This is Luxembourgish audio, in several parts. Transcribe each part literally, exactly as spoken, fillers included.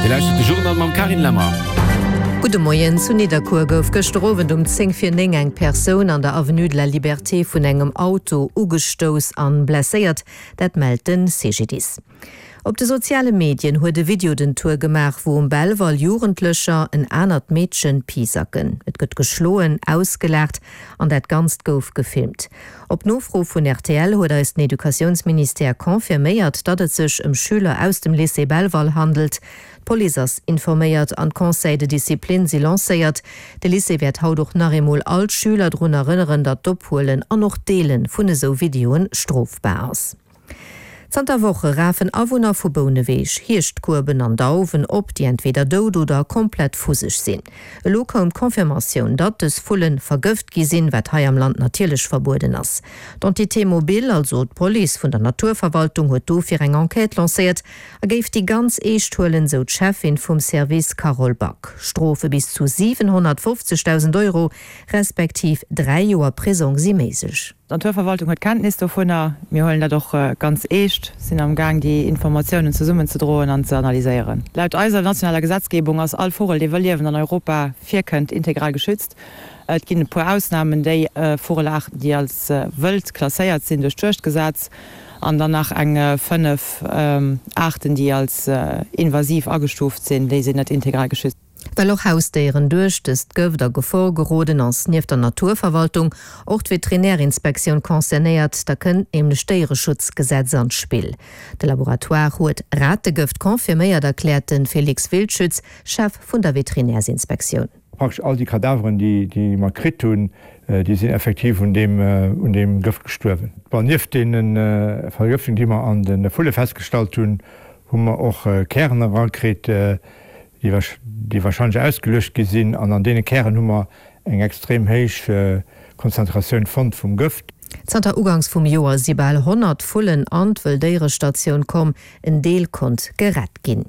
Dir lauschtert de Journal mam Carine Lemmer. Gudde Moien, Zu Nidderkuer gouf gëschter Owend um zéng vir néng eng Persoun an der Avenue de la Liberté vun engem Auto ugestouss an blesséiert, dat mellt de C G D I S. Op de soziale Medien huet e Video den Tour gemaach, wou um Belval Jugendlecher en anert Meedchen pisacken. Et gëtt geschloen, ausgelaacht an dat Ganzt gouf gefilmt. Op Nofro vun R T L huet eis den Educatiounsministère confirméiert, datt et sech ëm Schüler aus dem Lycée Belval handelt. D'Police ass informéiert an Conseils de discipline si lancéiert. De Lycée wäert haut och nach eemol all Schüler drun erënneren, datt d'Ophuelen an och Deele vun esou Videoen strofbar ass. Zanter Woche rafen Awunner vu Bouneweg Hierschtkueben an Dauwen op, déi entweder dout oder komplett fuseg sinn. Elo koum d'Confirmatioun, datt dës Vullen vergëft gi sinn, wat hei am Land natierlech verbueden ass. D'Entité mobile, also d'Police vun der Naturverwaltung, huet dofir eng Enquête lancéiert a géif déi ganz eescht huelen, sou d'Cheffin vum Service Carole Back. Strofe bis zu siwenhonnertfofzegdausend Euro respektiv dräi Joer Prisong si méiglech. D'Naturverwaltung huet Kenntnis dovunner. Mir huelen dat och ganz eescht, sinn am Gaang déi Informatiounen zesummenzedroen an ze analyséieren. Laut eiser nationaler Gesetzgebung ass all Vugel, dee wëll liewend an Europa virkënnt, integral geschützt. Et ginn e puer Ausnamen, déi Vugelaarten, déi als wëld klasséiert sinn duerch d'Juegdgesetz, an dann nach eng fënnef Aarten, déi als invasiv agestuuft sinn, déi sinn net integral geschützt. Well och Hausdéieren duerch dëst Gëft a Gefor geroden, ass nieft der Naturverwaltung och d'Veterinärinspektioun concernéiert, da kënnt nämlech d'Déiereschutzgesetz an d'Spill. De Laboratoire huet Rategëft confirméiert, erkläert de Felix Wildschütz, Chef vun der Veterinärsinspektioun. Praktesch all déi Kadaveren, déi déi mer kritt hunn, déi sinn effektiv un deem un deem Gëft gestuerwen. Bon, nieft deene Vergëftungen, déi mer an de Vulle festgestallt hunn, hu mer och Kären erakritt, déi warscheinlech ausgeluecht gi sinn, an an deene Kären hu mer eng extrem héich Konzentratioun fonnt vum Gëft. Zanter Uganks vum Joer si bal honnert Vullen an d'Wëlldéierestatioun komm, en Deel konnt gerett ginn.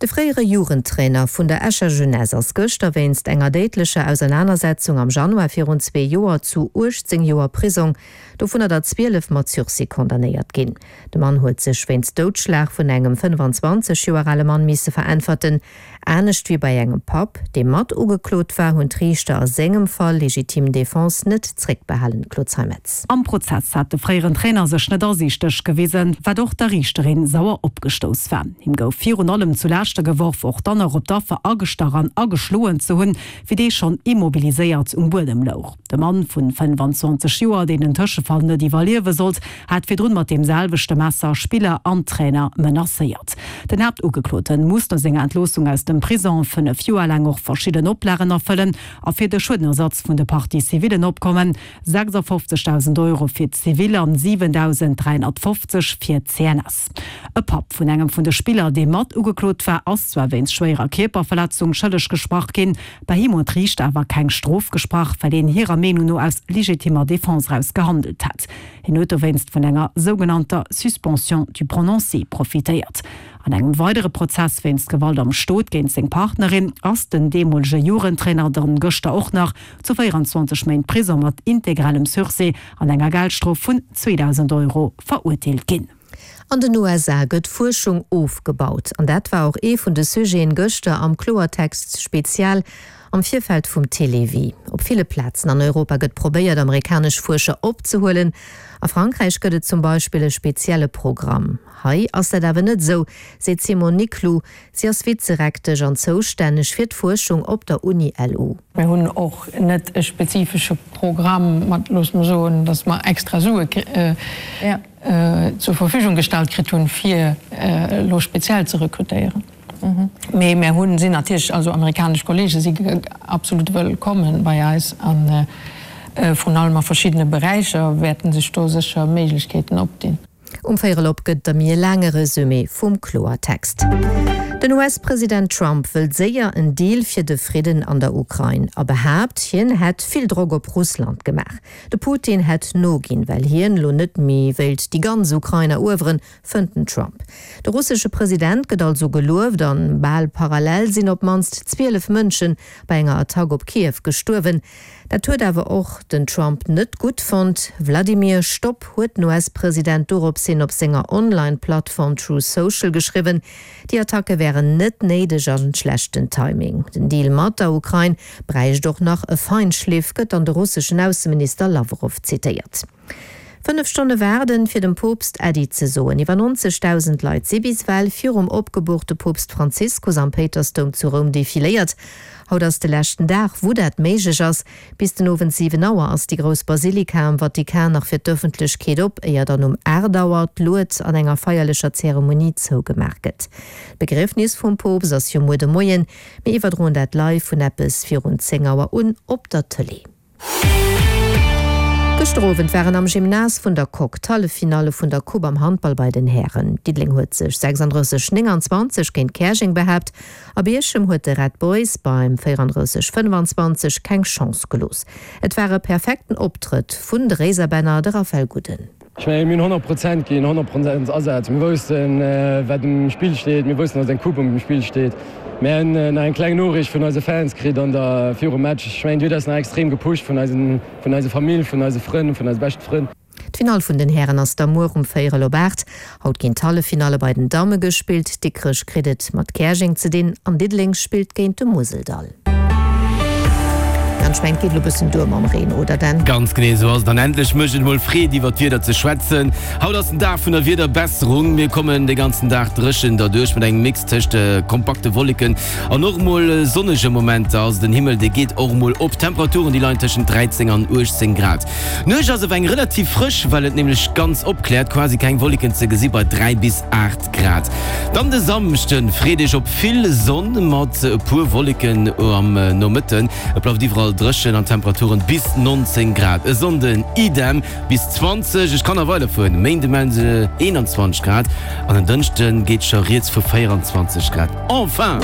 De fréiere Jugendtrainer vun der Escher Jeunesse ass gëschter wéinst enger déidlecher Ausernanersetzung am Januar virun zwee Joer zu uechtzéng Joer Prisong, dovunner der zwielef mat Sursis, condamnéiert ginn. De Mann huet sech wéinst Doudschlag vun engem fënnefanzwanzeg Joer ale Mann misse veräntwerten. Anescht wéi bei engem Papp, dee mat ugeklot war, hunn d'Riichter a sengem Fall légitime défense net zréckbehalen. Claude Zeimetz. Am Prozess hat de fréieren Trainer sech net asiichteg gewisen, wat och der Riichterin sauer opgestouss war. Him gouf virun allem zu Laaschte geworf, och dann nach op d'Affer agestach an ageschloen ze hunn, wéi dee schonn immobiliséiert um Buedem louch. De Mann vun fënnefanzwanzeg Joer, deen den Tëschefall net iwwerliewe sollt, hat virdrun mat deem selwechte Messer Spiller an Trainer menacéiert. Den Haaptugekloten muss no senger Entloossung aus dem Prisong fënnef Joer laang och verschidden Oplagen erfëllen a fir de Schuedenersatz vun de Parties civiles opkommen, sechsafofzegdausend Euro fir d'Zivil an siwentausend dräihonnertfofzeg fir d'C N S. E Papp vun engem vun de Spiller, dee mat ugeklot war, ass zwar wéinst schwéierer Kierperverletzung schëlleg gesprach ginn, bei him huet d'Riichter awer keng Strof gesprach, well een hirer Meenung no aus legitimer Defense eraus gehandelt hätt. Hien huet dowéinst vun enger sougenannter Suspension du prononcé profitéiert. An engem weidere Prozess wéinst Gewalt am Stot géint seng Partnerin ass den deemolege Jugendtrainer dann gëschter och nach zu véieranzwanzeg Méint Prisong mat integralem Sursis an enger Geldstrof vun zweedausend Euro verurteelt ginn. An den U S A gëtt Fuerschung ofgebaut. An dat war och ee vun de Sujeten gëschter am Kloertext Spezial am Virfeld vum Télévie. Op ville Plazen an Europa gëtt probéiert, amerikanesch Fuerscher opzehuelen. A Frankräich gëtt et zum Beispill e spezielle Programm. Hei ass dat awer net esou, seet d'Simone Niclou. Si ass Vizerektesch an zoustänneg fir d'Fuerschung op der Uni L U. Mir hunn och net e spezifesche Programm mat, loosse mer soen, datt mer extra Sue zur Verfügung gestallt kritt hunn, fir elo speziell ze rekrutéieren. Mee mir hunn sinn natierlech, also amerikanesch Kollege si absolut wëllkomme bei eis a vrun allem a verschiddene Beräicher wäerten sech do sécher Méiglechkeeten opdinn. Um Véierel op gëtt der méi e laange Resumé vum Kloertext. Den U S-President Trump wëllt séier en Deal fir de Fridden an der Ukrain a behaapt, hien hätt vill Drock op Russland gemaach. De Putin hätt noginn, well hien lo net méi wéilt déi ganz Ukrain erueweren, fënnt den Trump. De russesche President gëtt also gelueft an bal parallel sinn op d'mannst zwielef Mënsche bei enger Attack op Kiew gestuerwen. Dat huet awer och den Trump net gutt fonnt. Vladimir, Stopp, huet den US-President dorops hin op senger Online-Plattform Truth Social geschriwwen. Déi Attacke wären net néideg an schlechten Timing. Den Deal mat der Ukrain bräicht och nach e Feinschliff, gëtt dann de russeschen Ausseminister Lawrow zitéiert. Fënnef Stonne waarden, fir dem Poopst Äddi ze soen. Iwwer neunzegdausend Leit si bis ewell virum opgeboorte Poopst Franziskus am Péitersdoum zu Roum defiléiert. Haut ass de leschten Dag, wou dat méiglech ass. Bis den Owend siwen Auer ass déi grouss Basilika am Vatikan nach fir d'Ëffentlechkeet op, éier dann um aacht Auer d'Lued an enger feierlecher Zeremonie zougemaach gëtt. D'Begriefnis vum Poopst ass jo muer de Moien. Mir iwwerdroen dat live vun eppes virun zéng Auer un op der Tëlee. Gëschter Owend waren am Gymnase vun der Coque d'Halleffinalle vun der Coupe am Handball bei den Hären. Diddeleng huet sech sechsunddrësseg, nénganzwanzeg géint Käerjeng behaapt a Bierchem huet de Red Boys beim véierunddrësseg, fënnefanzwanzeg keng Chance gelooss. Et war e perfekten Optrëtt vun de Réiserbänner, de Raphaël Guden. Ech mengen, mir hunn honnert Prozent ginn, honnert Prozent Asaz. Mir woussten, wat um Spill steet, mir woussten, datt eng Coupe um Spill steet. Mir hunn nach eng kleng Noriicht vun eise Fans kritt an der virum Match. Ech mengen, déi huet eis nach extrem gepusht vun eisen, vun eiser Famill, vun eise Frënn, vun eise beschte Frënn. D'Finall vun den Hären ass da muer um véierel op aacht. Haut ginn d'Halleffinalle bei den Damme gespillt. Dikrech kritt et mat Käerjeng ze dinn an Diddeleng spillt géint de Museldall. An ech mengen, et geet elo bëssen duer mam Reen, oder Dan? Ganz genee esou ass et. An endlech mécht et emol Freed iwwer d'Wieder ze schwätzen. Haut ass den Dag vun der Wiederbesserung. Mir kommen de ganzen Dag dréchen derduerch mat engem Mix tëscht kompakte Wolleken an och emol sonnege Momenter. Also den Himmel dee geet och emol op. D'Temperaturen déi leien tëschent dräizéng an uechtzéng Grad. D'Nuecht ass awer eng relativ frësch, well et nämlech ganz opkläert, quasi keng Wolleken ze gesi bei dräi bis aacht Grad. Dann de Samschden, Freedeg op vill Sonn mat e puer Wolleken am Nomëtten. Et bleift iwwerall dréchen an Temperaturen bis nonzéng Grad. E Sonnden idem bis zwanzeg. Ech kann nach weiderfueren, Méinde mellen se eenanzwanzeg Grad an en Dënschde geet scho rieds vu véieranzwanzeg Grad. Enfin!